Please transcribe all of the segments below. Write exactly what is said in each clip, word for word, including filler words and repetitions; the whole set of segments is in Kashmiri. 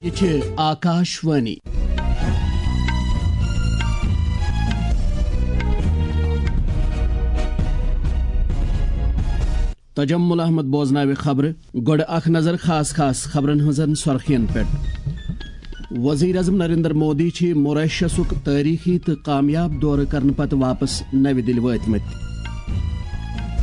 یہِ چھِ آکاش وانی۔ تجمل احمد بوزناوِ خبرٕ۔ گۄڈٕ اکھ نظر خاص خاص خبرن ہٕنٛزن سرخین پٮ۪ٹھ۔ وزیر اعظم نریندر مودی چھِ موریشسُک تٲریخی تہٕ کامیاب دورٕ کرنہٕ پتہٕ واپس نَوِ دِلہِ وٲتمٕتۍ۔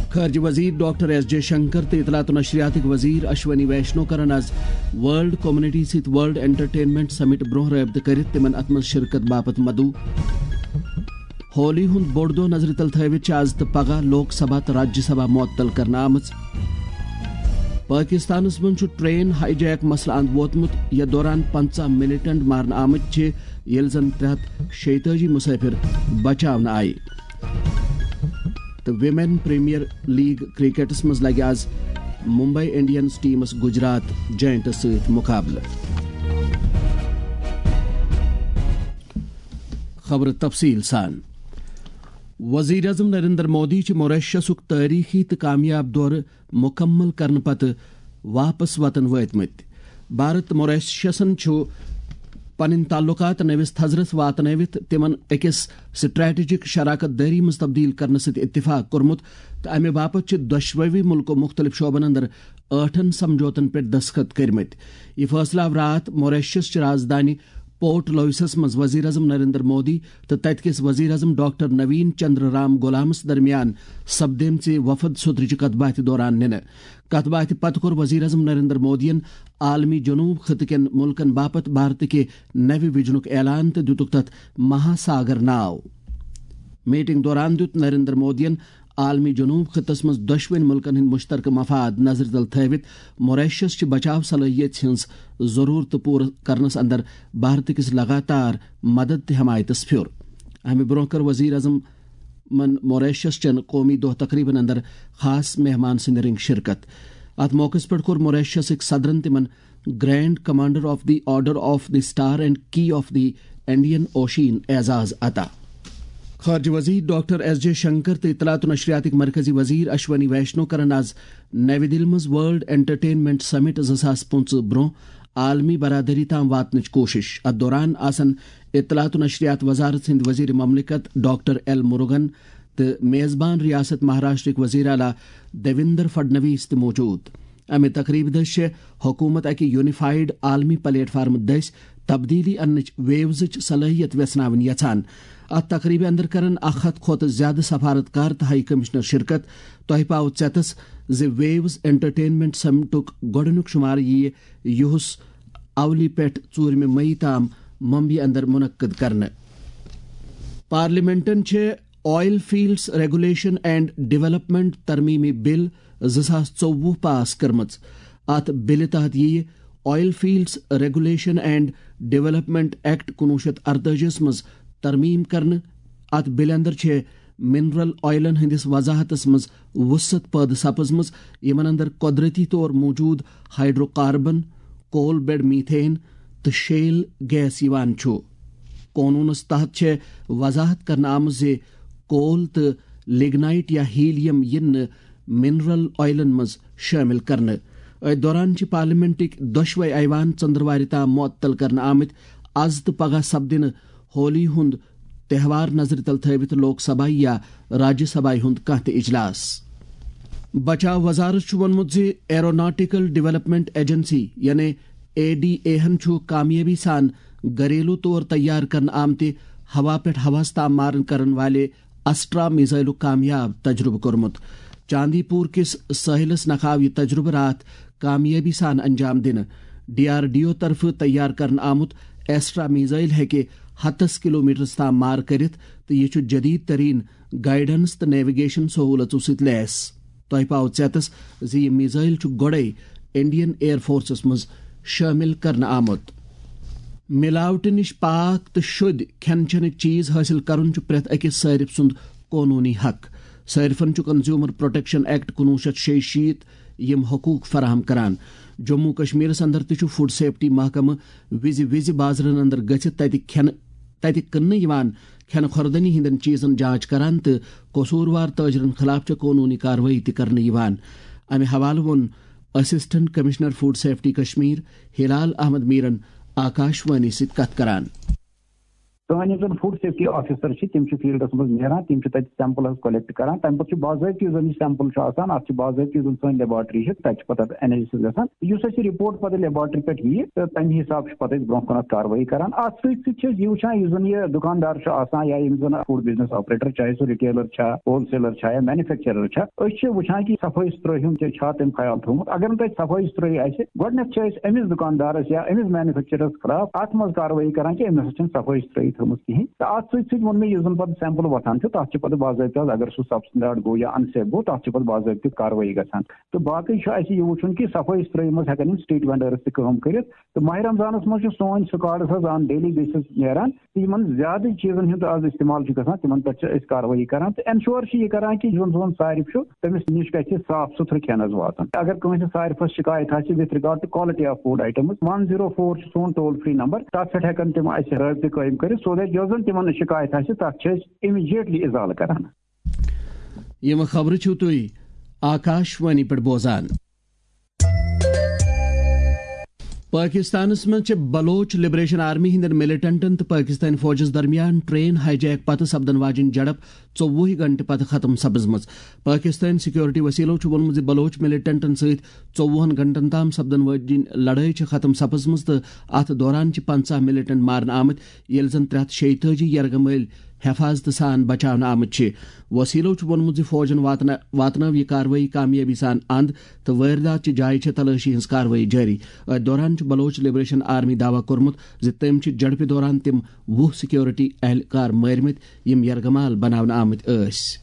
خارجہ وزیر ڈاکٹر ایس جے شنکر تہٕ اطلاعات و نشریاتٕکۍ وزیر اشونی ویشنو کرن آز ورلڈ کمیونٹی سۭتۍ ورلڈ انٹرٹینمنٹ سمٹ برونٛہہ رٲبطہٕ کٔرِتھ تِمن اتھ منٛز شرکت باپتھ مدعو۔ ہولی ہُنٛد بوٚڑ دۄہ نظرِ تل تھٲوِتھ چھِ آز تہٕ پگاہ لوک سبھا تہٕ راجیہ سبھا معطل کرنہٕ آمٕژ۔ پٲکِستانَس منٛز چھُ ٹرین ہائی جیک مسلہٕ اند ووتمُت، یَتھ دوران پنٛژاہ ملیٹنٹ مارنہٕ آمٕتۍ چھِ، ییٚلہِ زن ترٛےٚ ہَتھ شیٚیہِ تٲجی مسافر بچاونہٕ آیہِ۔ تہٕ ویمن پریمیئر لیگ کرکٹس منٛز لگہِ آز ممبئی انڈینز ٹیمس گجرات جائنٹس سۭتۍ مقابلہٕ۔ خبرٕ تفصیٖل سان۔ وزیر اعظم نریندر مودی چھِ موریشسُک تٲریخی تہٕ کامیاب دورٕ مکمل کرنہٕ پتہٕ واپس وطن وٲتمٕتۍ۔ بھارت تہٕ موریشسن چھُ پنٕنۍ تعلقات نٔوِس تھزرس واتنٲوِتھ تِمن أکِس سٹریٹجک شراکت دٲری منٛز تبدیل کرنہٕ سۭتۍ اتفاق کوٚرمُت تہٕ امہِ باپتھ چھِ دۄشوٕے مُلکو مُختٔلِف شعبن اندر ٲٹھن سمجھوتن پٮ۪ٹھ دستخط کٔرمٕتۍ۔ یہِ فٲصلہٕ آو راتھ موریشس چہِ رازدانہِ پورٹ لوئسس منٛز وزیر اعظم نریندر مودی تہٕ تتہِ کِس وزیر اعظم ڈاکٹر نوین چندر رام گولامس درمیان سپدیمژِ وفد سوترٕچہِ کتھ باتھِ دوران نِنہٕ۔ کتھ باتھِ پتہٕ کوٚر وزیر اعظم نریندر مودیَن عالمی جنوب خطہٕ کٮ۪ن مُلکن باپتھ بھارتہٕ کہِ نوِ وژنُک اعلان تہٕ دِتُکھ تتھ مہاساگر ناو۔ میٹنگ دوران دیُت نریندر مودیَن عالمی جنوب خطس منٛز دۄشوٕنۍ مُلکن ہٕنٛدۍ مشترکہٕ مفاد نظرِ تل تھٲوِتھ موریشس چہِ بچاو صلٲحیت ہٕنٛز ضرورتہٕ پوٗرٕ کرنس اندر بھارت کِس لگاتار مدد تہٕ حمایتس پھیُر۔ امہِ برونٛہہ کٔر وزیر اعظمن موریشس چٮ۪ن قومی دۄہ تقریبن اندر خاص مہمان سٕنٛدِ رنگہِ شرکت۔ اتھ موقعس پٮ۪ٹھ کوٚر موریشسٕکۍ صدرن تِمن Grand Commander of the Order of the Star and Key of the Indian Ocean اعزاز عطا۔ خارجہ وزیر ڈاکٹر ایس جے شنکر تہٕ اطلاعات و نشریاتٕکۍ مرکزی وزیر اشونی ویشنو کرن آز نَوِ دِلہِ منٛز ورلڈ انٹرٹینمنٹ سمٹ زٕ ساس پٕنٛژٕہ برونٛہہ عالمی برادری تام واتنٕچ کوٗشش۔ اتھ دوران آسن اطلاعات و نشریات وزارت ہٕنٛدۍ وزیر مملکت ڈاکٹر ایل مُروگن تہٕ میزبان ریاست مہاراشٹرٕکۍ وزیر اعلیٰ دیویندر فڈنویس تہِ موجود۔ امہِ تقریبہِ دٔسۍ چھےٚ حکوٗمت اکہِ یونیفائیڈ عالمی پلیٹ فارم دٔسۍ تبدیلی اننٕچ ویوزٕچ صلٲحیت ویژھناوٕنۍ یژھان۔ اتھ تقریبہِ اندر کرن اکھ ہتھ کھۄتہٕ زیادٕ سفارت کار تہٕ ہائی کمشنر شرکت۔ تۄہہِ پاوٕ ژیتس زِ ویوز انٹرٹینمنٹ سمٹُک گۄڈٕنیُک شمارٕ یِیہِ یُہس اولی پٮ۪ٹھ ژوٗرمہِ مئی تام ممبئی اندر منعقد کرنہٕ۔ پارلیمنٹن چھِ oil fields regulation and development ترمیمی بل زٕ ساس ژوٚوُہ پاس کٔرمٕژ۔ اتھ بلہِ تحت یِیہِ oil fields regulation and development act کُنوُہ شیٚتھ اَرتٲجی منٛز ترمیم کرنہٕ۔ اتھ بلہِ اندر چھِ منرل آئلن ہٕنٛدِس وضاحتس منٛز وسعت پٲدٕ سپٕزمٕژ، یِمن اندر قۄدرتی طور موجود ہائیڈرو کاربن، کول بیڈ میتھین تہٕ شیل گیس یِوان چھُ۔ قونوٗنس تحت چھےٚ وضاحت کرنہٕ آمٕژ زِ کول تہٕ لگنائٹ یا ہیلیم یِن نہٕ منرل آئلن منٛز شٲمِل کرنہٕ۔ أتھۍ دوران چھِ پارلیمنٹٕکۍ دۄشوے ایوان ژٔنٛدٕروارِ تام معطل کرنہٕ آمٕتۍ۔ از تہٕ پگاہ سپدِ نہٕ ہولی ہُنٛد تہوار نظرِ تل تھٲوِتھ لوک سبھا یا راجیہ سبھا ہُنٛد کانٛہہ تہِ اجلاس۔ بچاو وزارت چھُ ووٚنمُت زِ ایروناٹیکل ڈیولپمنٹ ایجنسی یعنی اے ڈی اے ہن چھُ کامیٲبی سان گھریلو طور تیار کرنہٕ آمتہِ ہوا پٮ۪ٹھ ہوہَس تام مارن کرن والہِ اسٹرا میزائلُک کامیاب تجربہٕ کوٚرمُت۔ چاندی پور کِس سٲحِلَس نکھاو یہِ تجربہٕ راتھ کامیٲبی سان انجام دِنہٕ۔ ڈی آر ڈی او طرفہٕ تیار کرنہٕ آمُت ایسٹرا میزائل ہیٚکہِ ہَتَس کلومیٹرَس تام مار کٔرِتھ تہٕ یہِ چھُ جدید ترین گائیڈنس تہٕ نیویگیشن سہولژو سۭتۍ لیس۔ تۄہہِ پاوٕ ژیتس زِ یہِ میزائل چھُ گۄڈَے انڈین ایئر فورسَس منٛز شٲمِل کرنہٕ آمُت۔ ملاوٹہٕ نِش پاک تہٕ شُدۍ کھٮ۪ن چٮ۪نٕکۍ چیز حٲصِل کرُن چھُ پرٛٮ۪تھ أکِس صٲرِف سُنٛد قونوٗنی حق۔ صٲرِفن چھُ کنزیومر پروٹیکشن ایکٹ کُنوُہ شیٚتھ شیٚیہِ شیٖتھ یِم حقوٗق فراہم کران۔ جموں کشمیرس اندر تہِ چھُ فوڈ سیفٹی محکمہٕ وِزِ وِزِ بازرن اندر گٔژھِتھ تتہِ کھٮ۪نہٕ، تتہِ کٕننہٕ یِوان کھٮ۪نہٕ خوردنی ہٕنٛدٮ۪ن چیزن جانچ کران تہٕ قصوٗروار تٲجرن خلاف چھےٚ قونوٗنی کاروٲیی تہِ کرنہٕ یِوان۔ امہِ حوالہٕ ووٚن assistant commissioner food safety Kashmir Hilal Ahmad میرن آکاشوانی سۭتۍ کتھ کران۔ سٲنۍ یِم زَن فوڈ سیفٹی آفیسر چھِ، تِم چھِ فیلڈَس منٛز نیران، تِم چھِ تَتہِ سیمپل حظ کلیکٹ کران۔ تَمہِ پَتہٕ چھُ باضٲبطہٕ یُس زَن یہِ سیمپل چھُ آسان، اَتھ چھِ باضٲبطہٕ یُس زَن سٲنۍ لیبارٹری چھِ، تَتہِ چھِ پَتہٕ اَتھ انالسس گژھان۔ یُس اَسہِ یہِ رپورٹ پَتہٕ لیبارٹری پٮ۪ٹھ یِیہِ، تہٕ تَمہِ حِسابہٕ چھِ پَتہٕ أسۍ برونٛہہ کُن اَتھ کاروٲیی کران۔ اَتھ سۭتۍ سۭتۍ چھِ أسۍ یہِ وٕچھان، یُس زَن یہِ دُکاندار چھُ آسان یا یِم زَن فوڈ بزنس آپریٹر، چاہے سُہ ریٹیلر چھا، ہول سیلر چھا یا مینوفیکچرر چھا، أسۍ چھِ وٕچھان کہِ صفٲیی ستھرٲہی ہُنٛد تہِ چھا تٔمۍ خیال تھوٚومُت۔ اگر نہٕ تَتہِ صفٲیی ستھرٲہی آسہِ، گۄڈٕنیتھ چھِ أسۍ أمِس دُکاندارس یا أمِس مینوفیکچررس خلاف اَتھ منٛز کاروٲیی کران کہِ أمۍ نسا چھَنہٕ صفٲیی ستھرٲہی تھٲومٕژ کِہیٖنۍ۔ تہٕ اَتھ سۭتۍ سۭتۍ ووٚن مےٚ، یُس زَن پَتہٕ سیمپل وۄتھان چھُ، تَتھ چھِ پَتہٕ باضٲبطہٕ حظ، اگر سُہ سبسٹینڈارڈ گوٚو یا انسیف گوٚو، تَتھ چھِ پَتہٕ باضٲبطہٕ کاروٲیی گژھان۔ تہٕ باقٕے چھُ اَسہِ یہِ وٕچھُن کہِ صفٲیی ستھرٲہی منٛز ہٮ۪کن یِم سٹریٹ وینڈٲرس تہِ کٲم کٔرِتھ۔ تہٕ ماہِ رمضانس منٛز چھُ سون سکاڈس حظ آن ڈیلی بیسس نیران۔ تہٕ یِمن زیادٕ چیٖزن ہُنٛد آز استعمال چھُ گژھان، تِمن پٮ۪ٹھ چھِ أسۍ کاروٲیی کران تہٕ انشور چھِ یہِ کران کہِ یُس زَن سون صارف چھُ، تٔمِس نِش گژھِ صاف سُتھرٕ کھٮ۪ن حظ واتُن۔ اگر کٲنٛسہِ صارفس شِکایت آسہِ with regard to quality of food items، one zero four چھُ سون ٹول فری نمبر، تتھ پٮ۪ٹھ ہٮ۪کن تِم اَسہِ رٲبطہٕ قٲیِم کٔرِتھ، so that یۄس زَن تِمن شِکایت آسہِ، تتھ چھِ أسۍ امیجیٹلی ازالہٕ کران۔ یِم خبرٕ چھِو تُہۍ آکاشوانی پٮ۪ٹھ بوزان۔ پٲکِستانَس منٛز چھِ بلوچ لبریشن آرمی ہٕنٛدٮ۪ن ملیٹنٹن تہٕ پٲکِستٲنۍ فوجَس درمیان ٹرین ہائی جیک پتہٕ سپدن واجٮ۪ن جھڑپ ژوٚوُہ گھنٹہٕ پتہٕ ختم سپٕزمٕژ۔ پٲکِستٲنۍ سیکورٹی وسیلو چھُ ووٚنمُت زِ بلوچ ملیٹنٹن سۭتۍ ژوٚوُہن گھنٹن تام سپدن واجٮ۪ن لڑٲے چھِ ختم سپٕزمٕژ تہٕ اتھ دوران چھِ پنژاہ ملیٹنٹ مارنہٕ آمٕتۍ، ییٚلہِ زن ترٛےٚ ہتھ شیٚیہِ تٲجی یرغمٲلۍ حفاظتہٕ سان بچاونہٕ آمٕتۍ چھِ۔ وسیلو چھُ ووٚنمُت زِ فوجَن واتنا-، واتنٲو یہِ کاروٲیی کامیٲبی سان اند تہٕ وٲرۍدات چہِ جایہِ چھےٚ تلٲشی ہٕنٛز کاروٲیی جٲری۔ أتھۍ دوران چھُ بلوچ لبریشن آرمی دعویٰ کوٚرمُت زِ تٔمۍ چھِ جھڑپہِ دوران تِم وُہ سیکورٹی اہلکار مٲرمٕتۍ، یِم یرغمال بناونہٕ آمٕتۍ ٲسۍ۔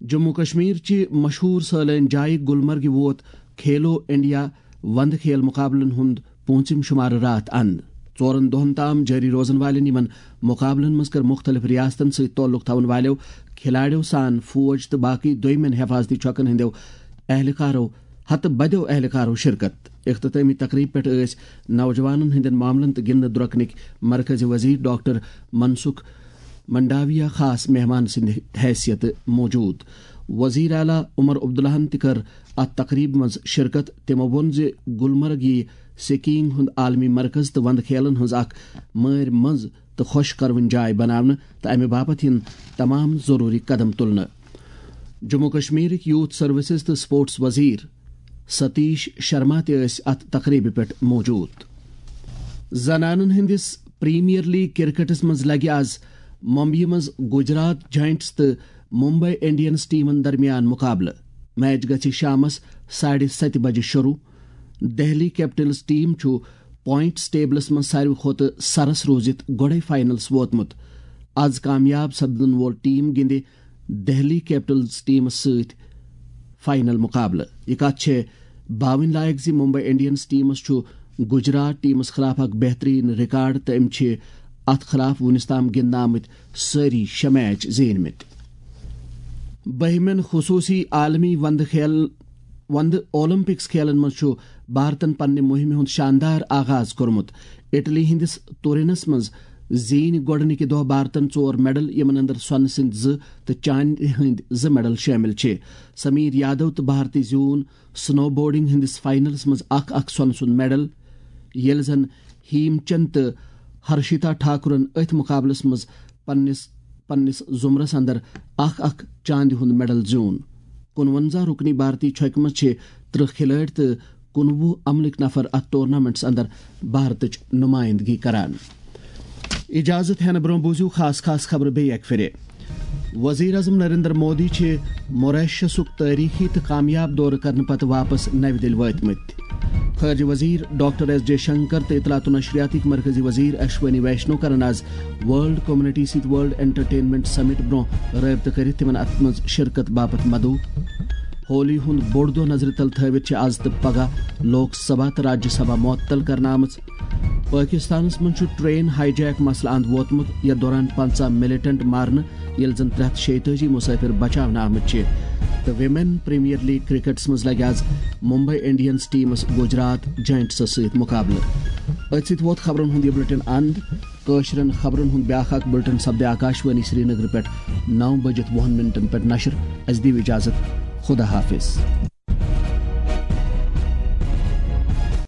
جموں کشمیر چہِ مشہوٗر سٲلٲنۍ جایہِ گلمرگہِ ووت کھیلو انڈیا وندٕ کھیل مقابلن ہُنٛد پوٗنٛژِم شمارٕ راتھ اند۔ ژورن دۄہن تام جٲری روزن والٮ۪ن یِمن مقابلن منٛز کٔر مُختٔلِف ریاستن سۭتۍ تعلق تھاون والٮ۪و کھلاڑیو سان فوج تہٕ باقٕے دوٚیمٮ۪ن حفاظتی چھۄکن ہٕنٛدٮ۪و اہلکارو، ہتہٕ بدٮ۪و اہلکارو شرکت۔ اختتٲمی تقریب پٮ۪ٹھ ٲسۍ نوجوانن ہٕنٛدٮ۪ن معاملن تہٕ گِنٛدنہٕ درۄکنٕکۍ مرکزی وزیر ڈاکٹر منسکھ منڈاویہ خاص مہمان سٕنٛدِ حیثیتہٕ موجود۔ وزیر اعلیٰ عمر عبداللہَن تہِ کٔر اتھ تقریبہِ منٛز شرکت۔ تِمو ووٚن زِ گلمرگ یِیہِ سکیئنگ ہُنٛد عالمی مرکز تہٕ وندٕ کھیلن ہٕنٛز اکھ مٲرۍ منٛز تہٕ خۄش کروٕنۍ جاے بناونہٕ تہٕ امہِ باپتھ یِن تمام ضروری قدم تُلنہٕ۔ جموں کشمیرٕکۍ یوتھ سروسز تہٕ سپورٹس وزیر ستیش شرما تہِ ٲسۍ اتھ تقریبہِ پٮ۪ٹھ موجود۔ زنانن ہٕنٛدِس پریمیئر لیگ کرکٹس منٛز لگہِ آز ممبیہِ منٛز گجرات جائنٹس تہٕ ممبئی انڈینز ٹیمن درمیان مقابلہٕ۔ میچ گژھِ شامس ساڑِ ستہِ بجہِ شروع۔ دہلی کیپٹلز ٹیم چھُ پوائنٹس ٹیبلس منٛز ساروی کھۄتہٕ سرس روٗزِتھ گۄڈے فائنلس ووتمُت۔ از کامیاب سپدن وول ٹیم گِنٛدِ دہلی کیپٹلز ٹیمس سۭتۍ فائنل مقابلہٕ۔ یہِ کتھ چھےٚ باوٕنۍ لایق زِ ممبئی انڈینز ٹیمس چھُ گجرات ٹیمس خلاف اکھ بہترین ریکارڈ تہٕ أمۍ چھِ اتھ خلاف وُنِس تام گِنٛدنہٕ آمٕتۍ سٲری شےٚ میچ زیٖنۍ مٕتۍ۔ بٔہمٮ۪ن خصوٗصی عالمی وندٕ کھیل، وندٕ اولمپکس کھیلن منٛز چھُ بھارتن پننہِ مُہِمہِ ہُنٛد شاندار آغاز کوٚرمُت۔ اٹلی ہٕنٛدِس تورینس منٛز زیٖنۍ گۄڈٕنِکہِ دۄہ بھارتن ژور میڈل، یِمن اندر سۄنہٕ سٕنٛدۍ زٕ تہٕ چاندِ ہٕنٛدۍ زٕ میڈل شٲمِل چھِ۔ سمیر یادو تہٕ بھارتی زیوٗن سنو بورڈنگ ہٕنٛدِس فائنلس منٛز اکھ اکھ سۄنہٕ سُنٛد میڈل، ییٚلہِ زن ہیم چند تہٕ ہرشیتا ٹھاکرن أتھۍ مقابلس منٛز پننِس، پننِس زمرس اندر اکھ اکھ چاندِ ہُنٛد میڈل زیوٗن۔ کُنوَنزاہ رُکنی بھارتی چھۄکہِ منٛز چھِ ترٕٛہ کھلٲڑۍ تہٕ کُنوُہ عملٕکۍ نفر اتھ ٹورنامنٹس اندر بھارتٕچ نمائندگی کران۔ اجازت ہینہٕ برونٛہہ بوٗزِو خاص خاص خبرٕ بیٚیہِ اکہِ پھِرِ۔ وزیر اعظم نریندر مودی چھِ موریشسُک تٲریخی تہٕ کامیاب دورٕ کرنہٕ پتہٕ واپس نَوِ دِلہِ وٲتمٕتۍ۔ خارجہ وزیر ڈاکٹر ایس جے شنکر تہٕ اطلاعات و نشریاتٕکۍ مرکزی وزیر اشونی ویشنو کرن آز ورلڈ کمیونٹی سۭتۍ ورلڈ انٹرٹینمنٹ سمٹ برونٛہہ رٲبطہٕ کٔرِتھ تِمن اتھ منٛز شرکت باپتھ مدعو۔ ہولی ہُنٛد بوٚڑ دۄہ نظرِ تل تھٲوِتھ چھِ آز تہٕ پگاہ لوک سبھا تہٕ راجیہ سبھا معطل کرنہٕ آمٕژ۔ پٲکِستانَس منٛز چھُ ٹرین ہائی جیک مسلہٕ اند ووتمُت، یَتھ دوران پنٛژاہ ملیٹنٹ مارنہٕ، ییٚلہِ زن ترٛےٚ ہتھ شیٚیہِ تٲجی مسافر بچاونہٕ آمٕتۍ چھِ۔ تہٕ ویمن پریمیئر لیگ کرکٹس منٛز لگہِ آز ممبئی انڈینز ٹیمس گجرات جائنٹسس سۭتۍ مقابلہٕ۔ أتھۍ سۭتۍ ووت خبرن ہُنٛد یہِ بلیٹن اند۔ کٲشرٮ۪ن خبرن ہُنٛد بیٛاکھ اکھ بلیٹن سپدِ آکاشوانی سرینگرٕ پٮ۪ٹھ نَو بجِتھ وُہن منٹن پٮ۪ٹھ نشر۔ اَسہِ دِیِو اجازت۔ خدا حافظ۔